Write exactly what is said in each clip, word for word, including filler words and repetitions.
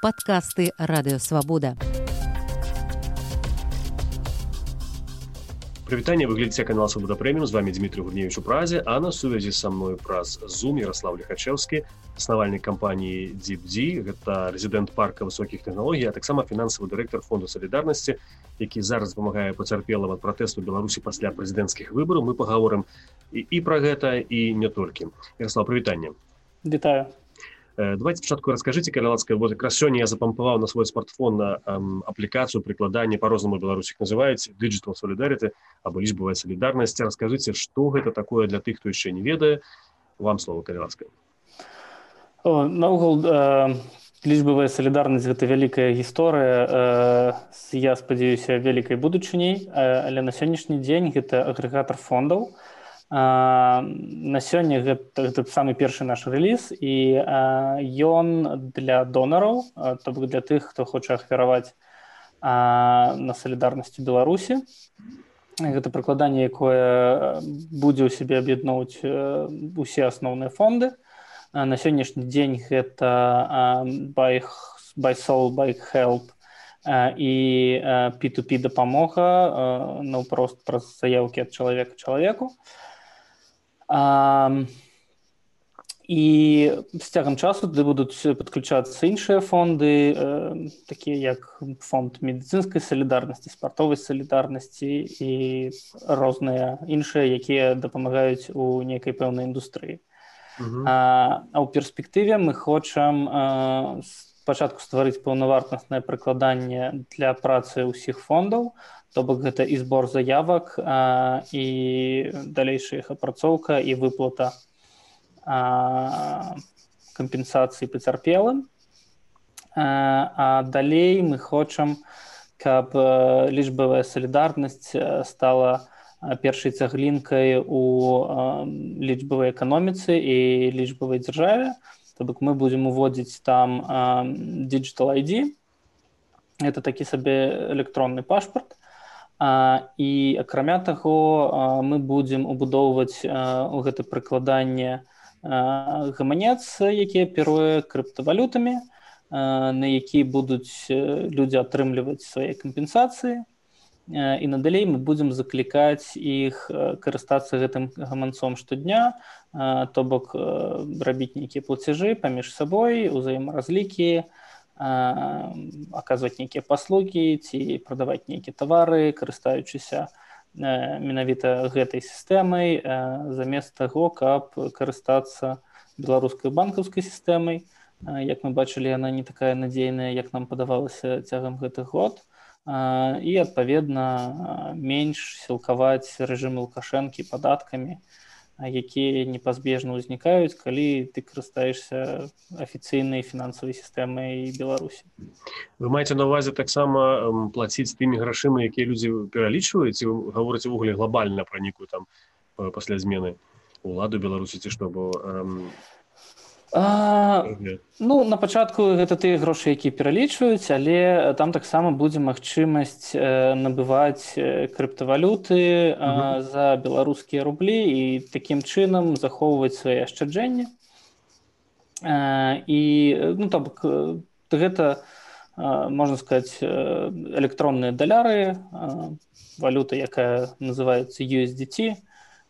подкасты «Радио Свобода». Прывітанне, вы глядзіце канал Свобода Прэміум, з вами Дмітрий Гурневич у Празе, а на сувязі са мной праз Zoom Ярослав Лихачевскі, заснавальнік кампаніі DeepD, гэта рэзідэнт парка высокіх тэхналогій, а таксама фінансавы дырэктар Фонду Салідарнасці, які зараз дапамагае пацярпелым ад пратэсту Беларусі пасля прэзідэнцкіх выбараў. Мы пагаворым і, і пра гэта, і не толькі. Ярослав, прывітанне. Вітаю. Давайте спочатку расскажите, калі ласка, вот якраз сёння я запампаваў на свой смартфон на эм, аплікацыю прыкладання, па-рознаму беларусі іх называюць, Digital Solidarity, або лічбавая салідарнасць. Раскажыце, што гэта такое для тых, хто яшчэ не ведае. Вам слово, калі ласка. Наогул, э, лічбавая салідарнасць – гэта вялікая гісторыя, э, я спадзяюся, вялікай будучыняй, э, але на сённяшні дзень гэта агрэгатар фондаў. Uh, на сёння гэта, гэта самы першы наш рэліз, і uh, ён для донараў, uh, то бок для тых, хто хоча ахвяраваць uh, на салідарнасці Беларусі. Гэта прыкладанне, якое будзе ў сябе аб'ядноўваць uh, усе асноўныя фонды. Uh, на сённяшні дзень гэта uh, buy, buy Soul, buy Help uh, і uh, пі ту пі дапамога, uh, наўпрост праз заяўкі ад чалавека чалавеку. А, і з цягам часу туды будуць падключацца іншыя фонды, э, такія як фонд медыцынскай салідарнасці, спартовай салідарнасці і розныя іншыя, якія дапамагаюць у нейкай пэўнай індустрыі. Uh-huh. А, а ў перспектыве мы хочам э, спачатку стварыць паўнавартаснае прыкладанне для працы ўсіх фондаў, то бок гэта і збор заявак, а, і далейшая іх апрацоўка і выплата а, кампенсацыі пацярпелым. А, а далей мы хочам, каб лічбавая салідарнасць стала першай цаглінкай у а, лічбавай эканоміцы і лічбавай дзяржаве. То бок мы будзем уводзіць там а, Digital ай ді. Гэта такі сабе электронны пашпарт. А, і акрамя таго а, мы будзем убудоўваць а, у гэта прыкладанне а, гаманец, які аперуе крыптавалютамі, а, на які будуць людзі атрымліваць свае кампенсацыі, а, і надалей мы будзем заклікаць іх карыстацца гэтым гаманцом штодня, а, то бок а, рабіць нейкія плацяжы паміж сабой, узаемаразлікі, аказваць нейкія паслугі ці прадаваць нейкія тавары, карыстаючыся менавіта гэтай сістэмай, замест таго, каб карыстацца беларускай банкаўскай сістэмай. Як мы бачылі, яна не такая надзейная, як нам падавалася цягам гэтых год. І, адпаведна, менш сілкаваць рэжым Лукашэнкі падаткамі, якія непазбежна ўзнікаюць, калі ты карыстаешся афіцыйнай фінансавай сістэмай Беларусі. Вы маеце на ўвазе таксама плаціць тымі грашыма, якія людзі пералічваюць, і вы гаворыце ўвогуле глобальна пра нейкую там пасля змены ўладу Беларусі ці што, бо эм... А, ну, на пачатку гэта тыя грошы, якія пералічваюць, але там таксама будзе магчымасць э, набываць крыптавалюты э, uh-huh. за беларускія рублі і такім чынам захоўваць свае ашчаджэнні. Э, і, ну, то бок, гэта, э, можна сказаць, электронныя даляры, э, валюта, якая называецца ю эс ді ти.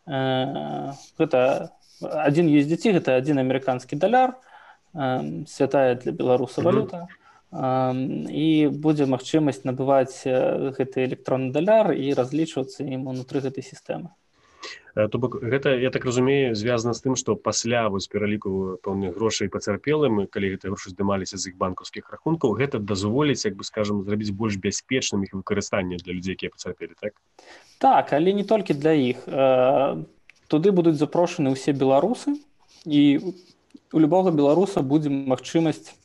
Э, гэта Адзін ю эс ді ти – гэта адзін амерыканскі даляр, э, святая для беларуса валюта, э, і будзе магчымасць набываць гэты электронны даляр і разлічвацца ім унутры гэтай сістэмы. То бок гэта, я так разумею, звязана з тым, што пасля вось пераліку пэўных грошай пацярпелым, калі гэтыя грошы здымаліся з іх банкаўскіх рахункаў, гэта дазволіць, як бы скажам, зрабіць больш бяспечным іх выкарыстанне для людзей, якія пацярпелі, так? Так, але не толькі для іх. Туды будуць запрошаны ўсе беларусы, і у любога беларуса будзе магчымасць э,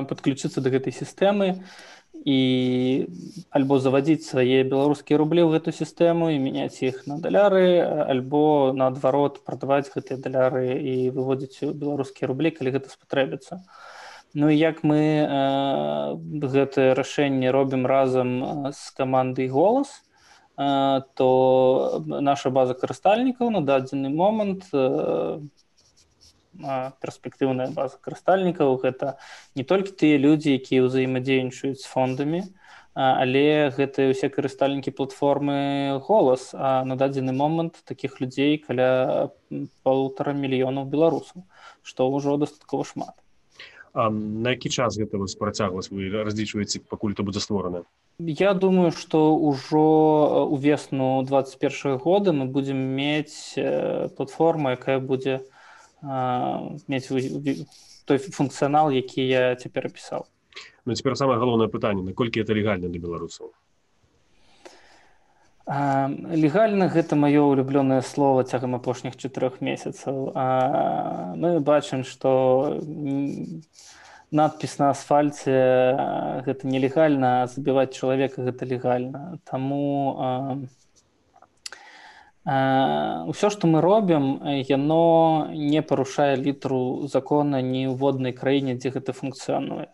падключыцца да гэтай сістэмы і альбо завадзіць свае беларускія рублі ў гэту сістэму і мяняць іх на даляры, альбо наадварот прадаваць гэтыя даляры і выводзіць беларускія рублі, калі гэта спатрэбіцца. Ну і як мы э, гэтае рашэнне робім разам з камандай «Голас», то наша база карыстальнікаў на дадзены момант перспектыўная база карыстальнікаў. Гэта не толькі тыя людзі, якія ўзаемадзейнічаюць з фондамі, але гэта ўсе карыстальнікі платформы «Голас». А на дадзены момант такіх людзей каля полутора мільёнаў беларусаў, што ўжо дастаткова шмат. А на які час гэта працягласць вы разлічваеце, пакуль это будзе створана? Я думаю, што ўжо ўвесну двадцать першага года мы будзем мець платформу, якая будзе мець той функцыянал, які я цяпер апісаў. Ну, цяпер самае галоўнае пытанне, наколькі это легальна для беларусаў? Легальна гэта маё улюблёнае слово цягам апошніх чатырох месяцаў. Мы бачым, што надпіс на асфальце гэта нелегальна, а забіваць чалавека гэта легальна. Таму ўсё, што мы робім, яно не парушае літару закона ні ў воднай краіне, дзе гэта функцыянуе.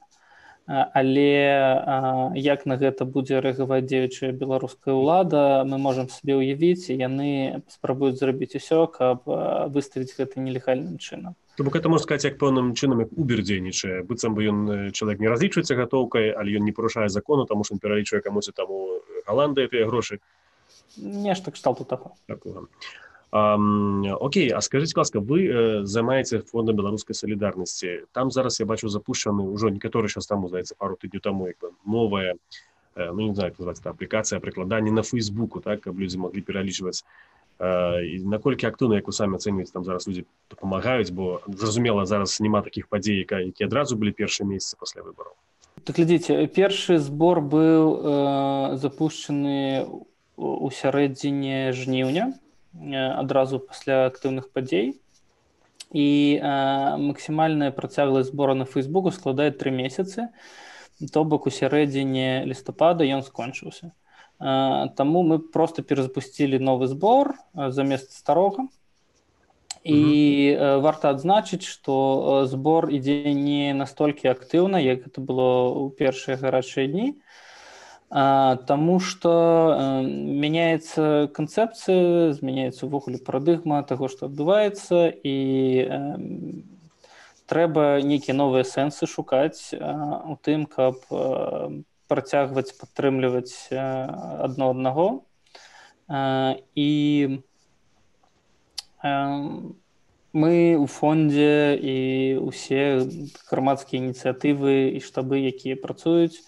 Але як на гэта будзе рэагаваць дзеючая беларуская ўлада, мы можам сабе ўявіць, і яны спрабуюць зрабіць усё, каб выставіць гэта нелегальным чынам. То бок гэта можна сказаць, як пэўным чынам, як Uber дзейнічае. Быццам бы ён чалавек не разлічваецца гатоўкай, але ён не парушае закону, таму што ён пералічвае камусь таму Галандыя тыя грошы. Нешта кшталту таго. Такога. Um, окей, а скажите, ласка, вы э, займаеце фондом беларускай солідарнасці. Там зараз я бачу запущены ўжо некаторы сейчас там, здаецца, пару тыдняў таму, як бы новая, э, ну не знаю, як называется, аплікацыя прыкладання на Фейсбуку, так, каб людзі маглі пералічваць. Э, і наколькі актыўна, як вы самі ацэньваеце, там зараз людзі дапамагаюць, бо зразумела, зараз няма такіх падзей, якія адразу былі першыя месяцы пасля выбараў. Так глядзіце, першы збор быў э, запущены у сярэдзіне жніўня, адразу пасля актыўных падзей, і э, максімальная працягласць збора на Фейсбуку складае тры месяцы, то бок у сярэдзіне лістапада ён скончыўся. Э, таму мы проста перазапусцілі новы збор э, замест старога, і э, варта адзначыць, што збор ідзе не настолькі актыўна, як гэта было ў першыя гарачыя дні, Таму што мяняецца канцэпцыя, змяняецца ўвогуле парадыгма таго, што адбываецца, і трэба нейкія новыя сэнсы шукаць у тым, каб працягваць падтрымліваць адно аднаго. І мы ў фондзе і ўсе грамадскія ініцыятывы і штабы, якія працуюць,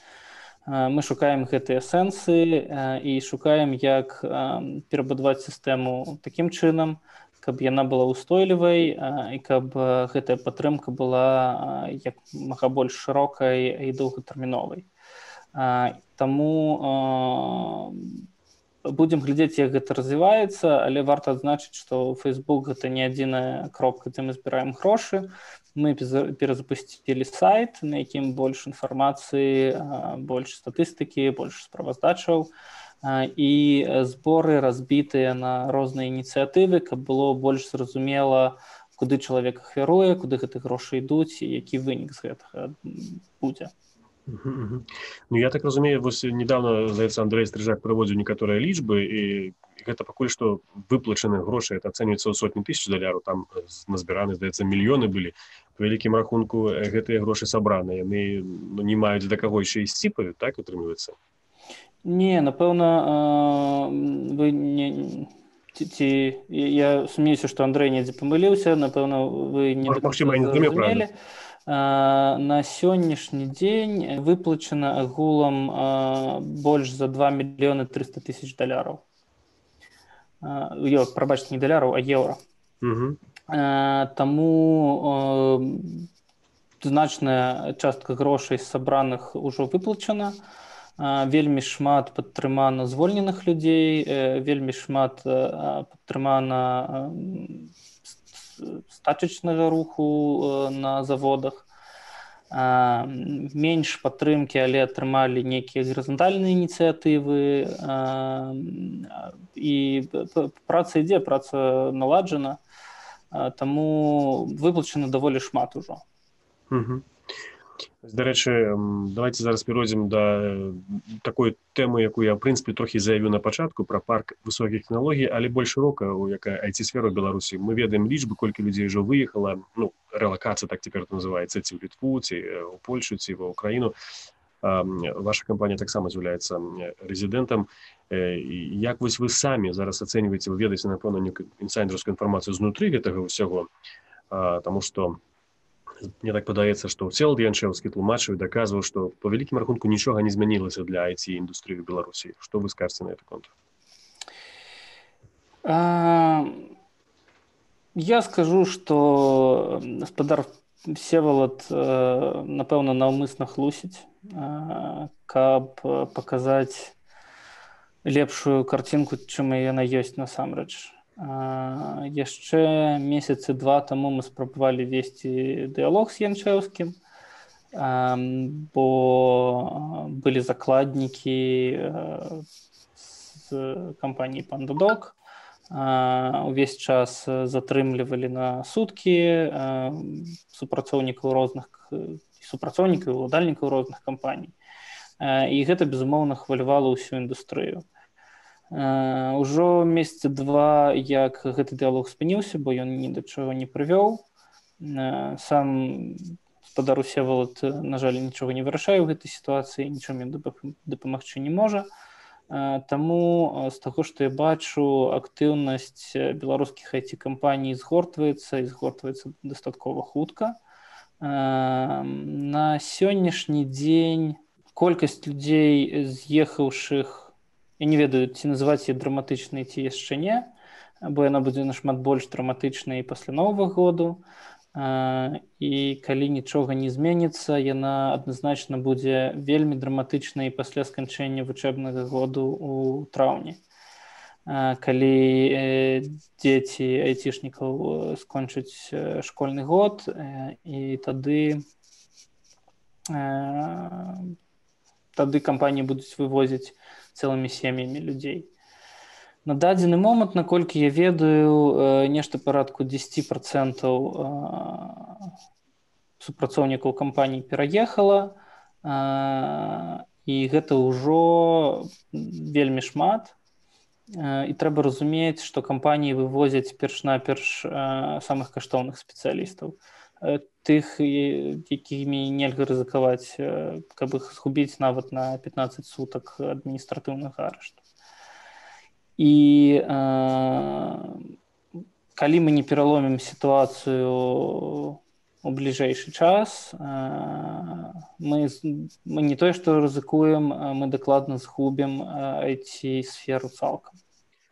мы шукаем гэтыя сэнсы і шукаем, як перабудаваць сістэму такім чынам, каб яна была ўстойлівай і каб гэтая падтрымка была як мага больш шырокай і доўгатэрміновай. Таму будзем глядзець, як гэта развіваецца, але варта адзначыць, што Facebook гэта не адзіная кропка, дзе мы збіраем грошы. Мы перазапусцілі сайт, на якім больш інфармацыі, больш статыстыкі, больш справаздачаў, і зборы разбітыя на розныя ініцыятывы, каб было больш зразумела, куды чалавек ахвяруе, куды гэтыя грошы ідуць і які вынік з гэтага будзе. Ну, я так разумею, вось недавно, здаецца, Андрэй Стрыжак прыводзіў некаторыя лічбы, і гэта пакуль што выплачаны грошы, это ацэньваецца ў сотні тысяч даляраў, там назбіраны, здаецца, мільёны былі. Па вялікім рахунку гэтыя грошы сабраны, яны ну, не маюць да каго яшчэ ісці, так атрымліваецца? Не, напэўна, вы не... Ці, я сумнеюся, што Андрэй недзе памыліўся, напэўна, вы не зразумелі. На сённяшні дзень выплачана агулам больш за два мільёны трыста тысяч даляраў. Ё, прабачце, не даляраў, а еўра. Угу. Таму значная частка грошай сабраных ужо выплачана. Вельмі шмат падтрымана звольненых людзей, вельмі шмат падтрымана стачачнага руху на заводах. Менш падтрымкі, але атрымалі нейкія гарызантальныя ініцыятывы. І праца ідзе, праца наладжана, таму выплачана даволі шмат ужо. Угу. Дарэчы, давайте зараз перайдзем да такой тэмы, якую я, в прынцыпе, трохі заявіў на пачатку, пра парк высокіх тэхналогій, але больш шырока, якая ай ти-сфера ў Беларусі. Мы ведаем лічбы, колькі людзей ўжо выехала, ну, релокация, так теперь это называется, ці ў Літву, ці ў Польшу, ці ва Украіну. Ваша кампанія таксама з'яўляецца рэзідэнтам. Як вось вы самі зараз ацэньваеце, вы ведаеце, напэўна, інсайдерскую інфармацыю знутры гэтага ўсяго, таму што мне так падаецца, што Всеволод Янчэўскі тлумачыў і даказваў, што па вялікім рахунку нічога не змянілася для ай ти-індустрыі ў Беларусі. Што вы скажаце на гэты конт? Я скажу, што гаспадар Всеволод, напэўна, наўмысна хлусіць, каб паказаць лепшую карцінку, чым яна ёсць насамрэч. Яшчэ месяцы два таму мы спрабавалі весці дыялог з Янчэўскім, бо былі закладнікі з кампаніі «Пандадок». Увесь час затрымлівалі на суткі супрацоўнікаў розных супрацоўнікаў і ўладальнікаў розных кампаній. І гэта, безумоўна, хвалявала ўсю індустрыю. Ужо месяца два, як гэты дыялог спыніўся, бо ён ні да чаго не прывёў. Сам гаспадар Всеволод, на жаль, нічога не вырашае ў гэтай сітуацыі, нічым ён дапамагчы не можа. Таму з таго, што я бачу, актыўнасць беларускіх ай ти-кампаній згортваецца і згортваецца дастаткова хутка. На сённяшні дзень колькасць людзей, з'ехаўшых, я не ведаю, ці называць яе драматычнай, ці яшчэ не, бо яна будзе нашмат больш драматычнай пасля Новага году. І калі нічога не зменіцца, яна адназначна будзе вельмі драматычнай пасля сканчэння вучэбнага году ў траўні. Калі дзеці айцішнікаў скончаць школьны год, і тады тады кампаніі будуць вывозіць цэлымі сем'ямі людзей. На дадзены момант, наколькі я ведаю, нешта парадку дзесяць працэнтаў супрацоўнікаў кампаній пераехала, і гэта ўжо вельмі шмат. І трэба разумець, што кампаніі вывозяць перш-наперш самых каштоўных спецыялістаў. Тых, якімі нельга рызыкаваць, каб іх згубіць нават на пятнаццаць сутак адміністратыўнага арышту. І э, калі мы не пераломім сітуацыю у бліжэйшы час, э, мы, мы не тое, што рызыкуем, мы дакладна згубім ай ти-сферу цалкам.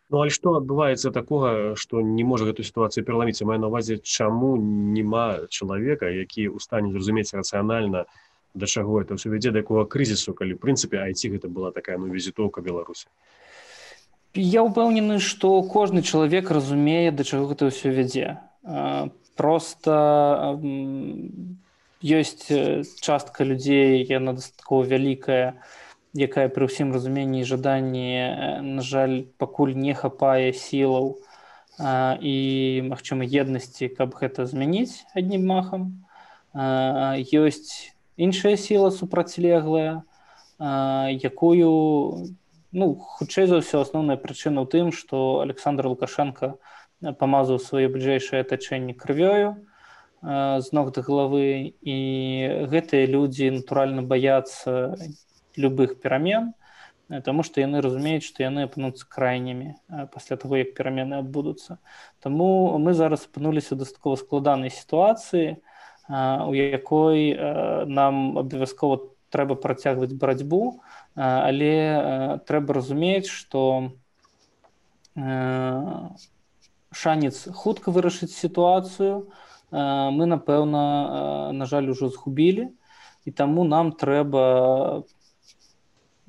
Ну, але што адбываецца такога, што не можа гэту сітуацыю пераламіць? Маю на ўвазе, чаму няма чалавека, які ў стане зразумець рацыянальна, да чаго это ўсё вядзе, да якога крызісу, калі, ў прынцыпе, ай ти гэта была такая, ну, візітоўка Беларусі? Я ўпэўнены, што кожны чалавек разумее, да чаго гэта ўсё вядзе. Проста ёсць частка людзей, яна дастаткова вялікая, якая пры ўсім разуменні і жаданні, на жаль, пакуль не хапае сілаў і, магчыма, еднасці, каб гэта змяніць аднім махам. Ёсць іншая сіла супрацьлеглая, якую... Ну, хутчэй за ўсё, асноўная прычына ў тым, што Александр Лукашенко памазаў сваё бліжэйшае атачэнне крывёю з ног да галавы, і гэтыя людзі, натуральна, баяцца любых перамен, таму што яны разумеюць, што яны апынуцца крайнімі пасля таго, як перамены адбудуцца. Таму мы зараз апынуліся ў дастаткова складанай сітуацыі, у якой нам абавязкова трэба працягваць барацьбу, але трэба разумець, што шанец хутка вырашыць сітуацыю мы, напэўна, на жаль, ужо згубілі, і таму нам трэба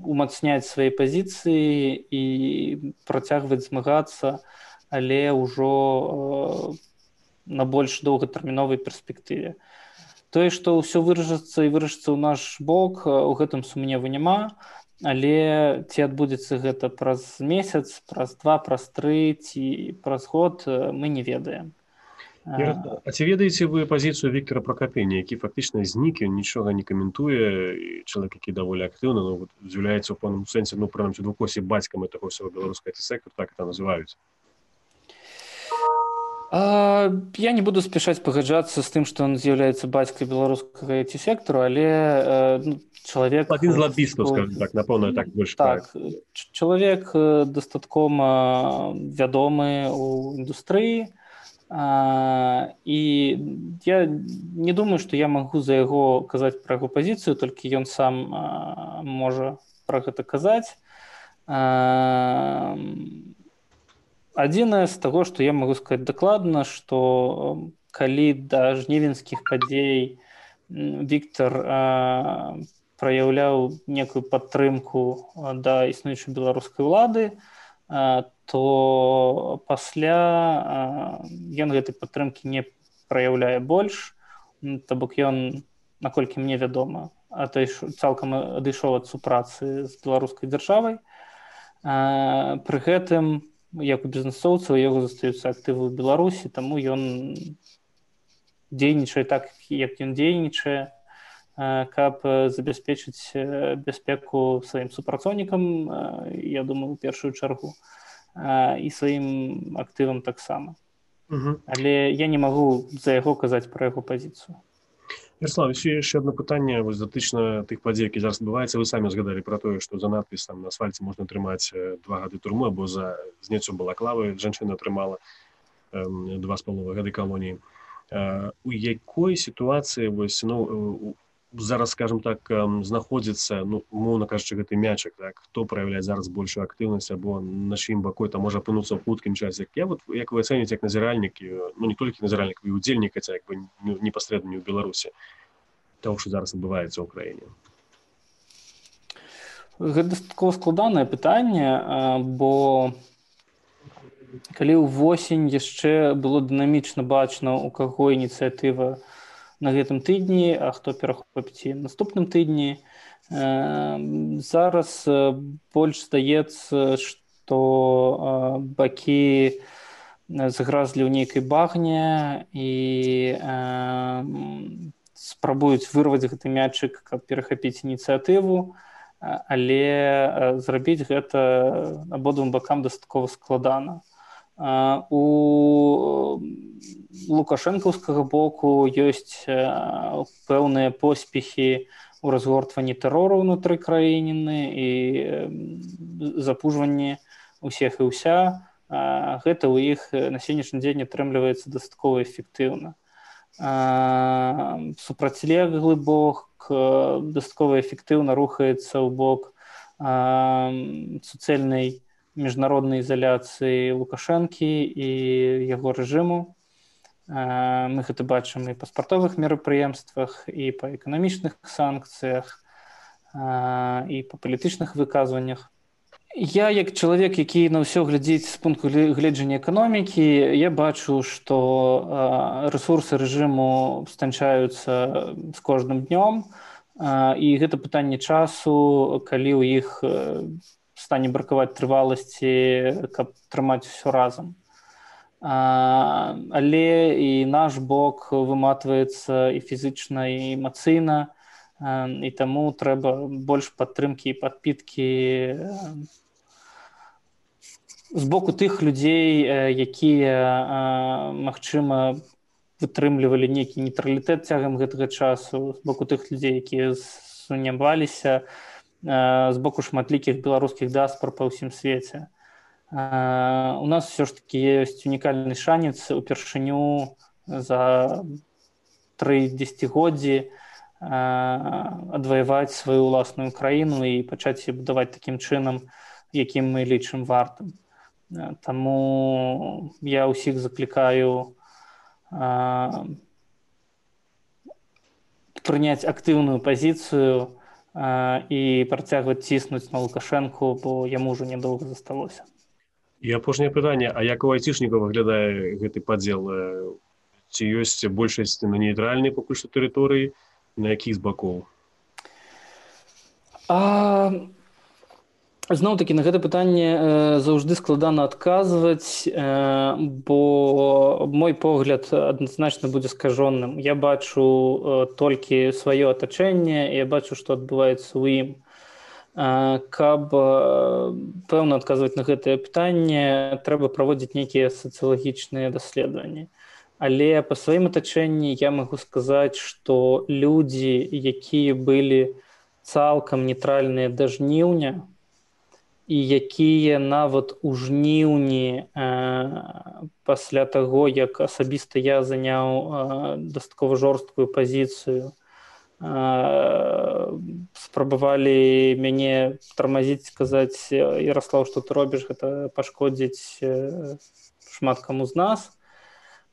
умацняць свае пазіцыі і працягваць змагацца, але ўжо на больш доўгатэрміновай перспектыве. Тое, што ўсё вырашыцца і вырашыцца ў наш бок, у гэтым сумневу няма, але ці адбудзецца гэта праз месяц, праз два, праз тры ці праз год, мы не ведаем. А ці ведаеце вы пазіцыю Віктора Пракапеня, які фактычна знік, ён нічога не каментуе, і чалавек, які даволі актыўна, ну, з'яўляецца ў пэўным сэнсе, ну, прынамсі, ў двухкосе бацькам таго ўсяго беларускага ай ти-сектора, так это называюць? Я не буду спешаць пагаджацца з тым, што ён з'яўляецца бацькай беларускага ай ти-сектару, але ну, чалавек... Адзін з лабістаў, скажем так, напэўна, так больш так, чалавек дастаткова вядомы ў індустрыі, і я не думаю, што я магу за яго казаць пра яго пазіцыю, толькі ён сам можа пра гэта казаць. Адзінае з таго, што я магу сказаць дакладна, што калі да жнівеньскіх падзей Віктор праяўляў некую падтрымку да існуючай беларускай улады, то пасля ён гэтай падтрымкі не праяўляе больш, то бок ён, наколькі мне вядома, цалкам адышоў ад супрацы з беларускай дзяржавай. Пры гэтым, як у бізнэсоўца, у яго застаюцца актывы ў Беларусі, таму ён дзейнічае так, як ён дзейнічае, каб забяспечыць бяспеку сваім супрацоўнікам, я думаю, у першую чаргу, і сваім актывам таксама. Угу. Але я не магу за яго казаць пра яго пазіцыю. Ярослав, яшчэ одно пытанне датычна тых падзей, які зараз адбываецца. Вы самі згадалі пра тое, што за надпіс там на асфальце можна атрымаць два гады турмы, або за зняццё балаклавы жанчына атрымала два з паловай гады калоніі. У якой сітуацыі вось, ну, зараз, скажем так, знаходзіцца, ну, умоўна кажучы, гэты мячык, так, хто праяўляе зараз большую актыўнасць, або на чыім баку там можа апынуцца ў хуткім часе? Я вот, як вы ацэніце, як назіральнік, ну, не толькі назіральнік, і удзельнік, хаця як бы непасрэдна не ў Беларусі, того, што зараз адбываецца ў краіне. Гэта дастаткова складанае пытанне, бо калі ўвосень яшчэ было дынамічна бачна, у каго ініцыятыва на гэтым тыдні, а хто перахопіць наступным тыдні. Зараз больш здаецца, што бакі загразлі ў нейкай багне і спрабуюць вырваць гэты мячык, каб перахапіць ініцыятыву, але зрабіць гэта абодвум бакам дастаткова складана. У лукашэнкаўскага боку ёсць пэўныя поспехі ў разгортванні тэрору ўнутры краіны і запужванні ўсіх і ўся. Гэта ў іх на сённяшні дзень атрымліваецца дастаткова эфектыўна. Супрацьлеглы бок дастаткова эфектыўна рухаецца ў бок суцэльнай міжнароднай ізаляцыі Лукашэнкі і яго рэжыму. Мы гэта бачым і па спартовых мерапрыемствах, і па эканамічных санкцыях, і па палітычных выказваннях. Я, як чалавек, які на ўсё глядзіць з пункту гледжання эканомікі, я бачу, што рэсурсы рэжыму станчаюцца з кожным днём, і гэта пытанне часу, калі ў іх стане бракаваць трываласці, каб трымаць усё разам. Але і наш бок выматваецца і фізічна, і эмацыйна, і таму трэба больш падтрымкі і падпіткі з боку тых людзей, якія, магчыма, вытрымлівалі нейкі нейтралітэт цягам гэтага часу, з боку тых людзей, якія сумняваліся, з боку шматлікіх беларускіх дыаспор па ўсім свеце. У нас все ж таки ёсць унікальны шанец упершыню за тры дзесяцігоддзі адваяваць сваю ўласную краіну і пачаць будаваць такім чынам, якім мы лічым вартым. Таму я ўсіх заклікаю прыняць актыўную пазіцыю і працягваць ціснуць на Лукашэнку, бо яму ўжо нядоўга засталося. І апошняе пытанне, а як у айцішнікаў выглядае гэты падзел? Ці ёсць большасць на нейтральнай пакуль што тэрыторыі, на якіх з бакоў? Зноў-такі на гэта пытанне заўжды складана адказваць, бо мой погляд адназначна будзе скажоным. Я бачу толькі сваё атачэнне, і я бачу, што адбываецца ў ім. Каб пэўна адказваць на гэтае пытанне, трэба праводзіць нейкія сацыялагічныя даследаванні. Але па сваім атачэнні я магу сказаць, што людзі, якія былі цалкам нейтральныя да жніўня, і якія нават у жніўні э, пасля таго, як асабіста я заняў э, дастаткова жорсткую пазіцыю, э, спрабавалі мяне тармазіць, сказаць: Яраслаў, што ты робіш, гэта пашкодзіць э, шмат каму з нас.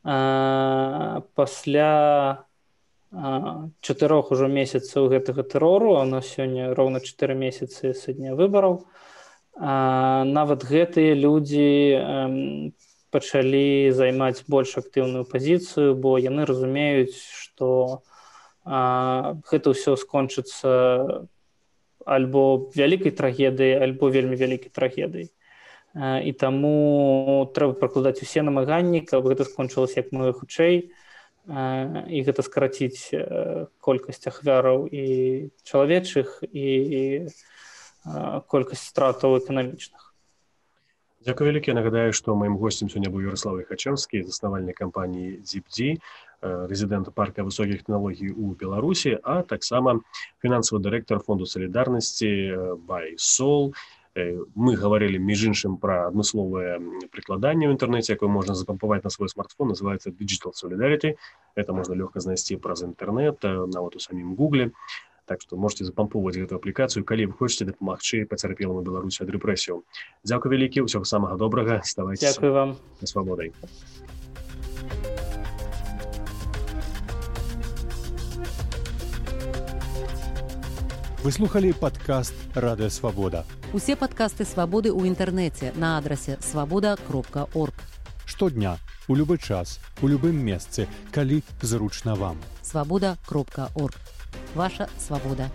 Э, пасля э, чатырох ужо месяцаў гэтага тэрору, а у нас сёння роўна чатыры месяцы са дня выбараў, А, нават гэтыя людзі эм, пачалі займаць больш актыўную пазіцыю, бо яны разумеюць, што а, гэта ўсё скончыцца альбо вялікай трагедыяй, альбо вельмі вялікай трагедыяй. А, і таму трэба прыкладаць усе намаганні, каб гэта скончылася як мага хутчэй, а, і гэта скараціць а, колькасць ахвяраў і чалавечых, і, і колькасць стратаў эканамічных. Дзякуй вялікі. Нагадаю, што маім госцем сёння быў Яраслаў Ліхачэўскі, заснавальнік кампаніі дзіп-дзі, рэзідэнт парка высокіх тэхналогій у Беларусі, а таксама фінансавы дырэктар фонду салідарнасці BuySol. Мы гаварылі, між іншым, пра адмысловае прыкладанне ў інтэрнэце, якое можна запампаваць на свой смартфон, называецца Digital Solidarity. Это можна лёгка знайсці праз інтэрнэт, нават у самім Гугле. Так што можете запампоўваць гэту аплікацыю, калі вы хочаце дапамагчы пацярпелым у Беларусі ад рэпрэсіяў. Дзякуй вялікі, усяго самага добрага, ставайцеся Дзякуй вам. На свабодай. Вы слухалі падкаст «Радыё Свабода». Усе падкасты «Свабоды» ў інтэрнэце на адрасе свабода кропка орг. Штодня, у любы час, у любым месцы, калі зручна вам. свабода кропка орг. Ваша свабода.